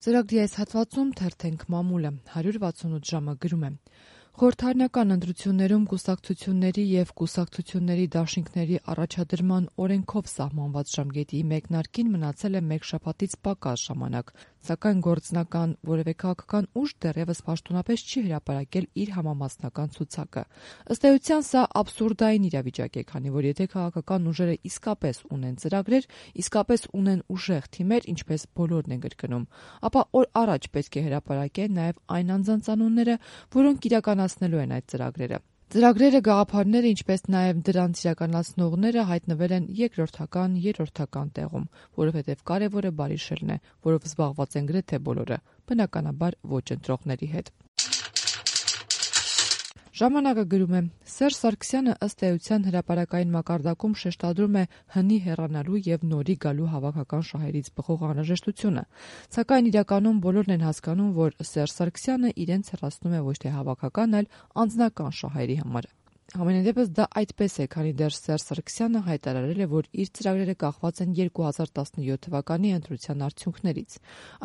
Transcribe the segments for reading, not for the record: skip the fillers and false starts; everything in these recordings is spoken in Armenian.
Ծրագրի այս հատվածում թերթենք մամուլը 168 ժամը գրում է. Խորհրդարանական ընտրություններում կուսակցությունների և կուսակցությունների դաշինքների առաջադրման օրենքով սահմանված ժամկետի մեկնարկին մնացել է մեկ շաբաթից պակաս ժամանակ, սակայն գործնական որևէ քաղաքական ուժ դեռևս պաշտոնապես չի հրապարակել իր համամասնական ցուցակը։ Ըստ էության սա աբսուրդային իրավիճակ է, քանի որ եթե քաղաքական ուժերը իսկապես ունեն ծրագրեր, իսկապես ունեն ուժեղ թիմեր, ինչպես բոլորն են կրկնում, ապա օր առաջ պետք է հրապարակեն նաև այն անձանց անունները, որոնք իրականացնելու են այդ ծրագրերը։ Ծրագրերը, գաղափարները, ինչպես նաև դրանց իրականացնողները հայտնվել են երկրորդական, երրորդական տեղում, որովհետև կարևորը բարիշելն է, որով զբաղված են գրեթե բոլորը, բնականաբար ոչ ընտրողների հետ։ Ժամանակը գրում է. Սերժ Սարգսյանը ըստ էության հրապարակային մակարդակում շեշտադրում է հնի հեռանալու և նորի գալու հավաքական շահերից բխող անհրաժեշտությունը, սակայն իրականում բոլորն են հասկանում, որ Սերժ Սարգսյանը իրենց հեռացնում է ոչ թե հավաքական, այլ անձնական շահերի համար։ Համենայնդեպս դա այդպես է, քանի դեռ Սերժ Սարգսյանը հայտարարել է, որ իր ծրագրերը կախված են 2017 թվականի ընտրության արդյունքներից։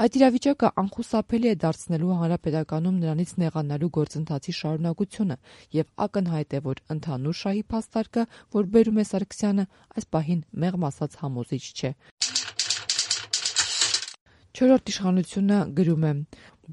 Այդ իրավիճակը անխուսափելի է դարձնելու հանրապետականում նրանից նեղանալու գործընթացի շարունակությունը, և ակնհայտ է, որ ընդհանուր շահի փաստարկը, որ բերում է Սարգսյանը, այս պահին մեղմ ասած համոզիչ չէ։ Չորրորդ իշխանությունը գրում է.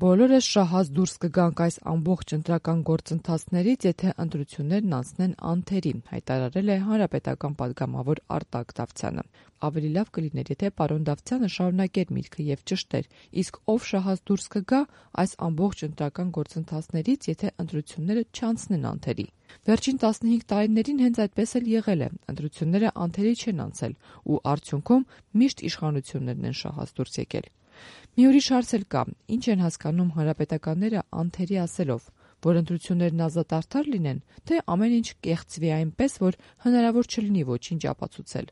Բոլորս շահած դուրս կգանք այս ամբողջ ընտրական գործընթացներից, եթե ընտրություններն անցնեն անթերի, հայտարարել է հանրապետական պատգամավոր Արտակ Դավթյանը։ Ավելի լավ կլիներ, եթե պարոն Դավթյանը շարունակեր միտքը և ճշտեր, իսկ ով շահած դուրս կգա այս ամբողջ ընտրական գործընթացներից, եթե ընտրությունները չանցնեն անթերի։ Վերջին 15 տարիներին հենց այդպես էլ եղել է, ընտրությունները անթերի չեն անցել, ու արդյունքում միշտ իշխանություններն են շահած դուրս եկել։ Մի ուրիշ հարց էլ կա. ինչ են հասկանում հանրապետականները անթերի ասելով, որ ընտրություններն ազատ արդար լինեն, թե ամեն ինչ կեղծվի այնպես, որ հնարավոր չլինի ոչինչ ապացուցել։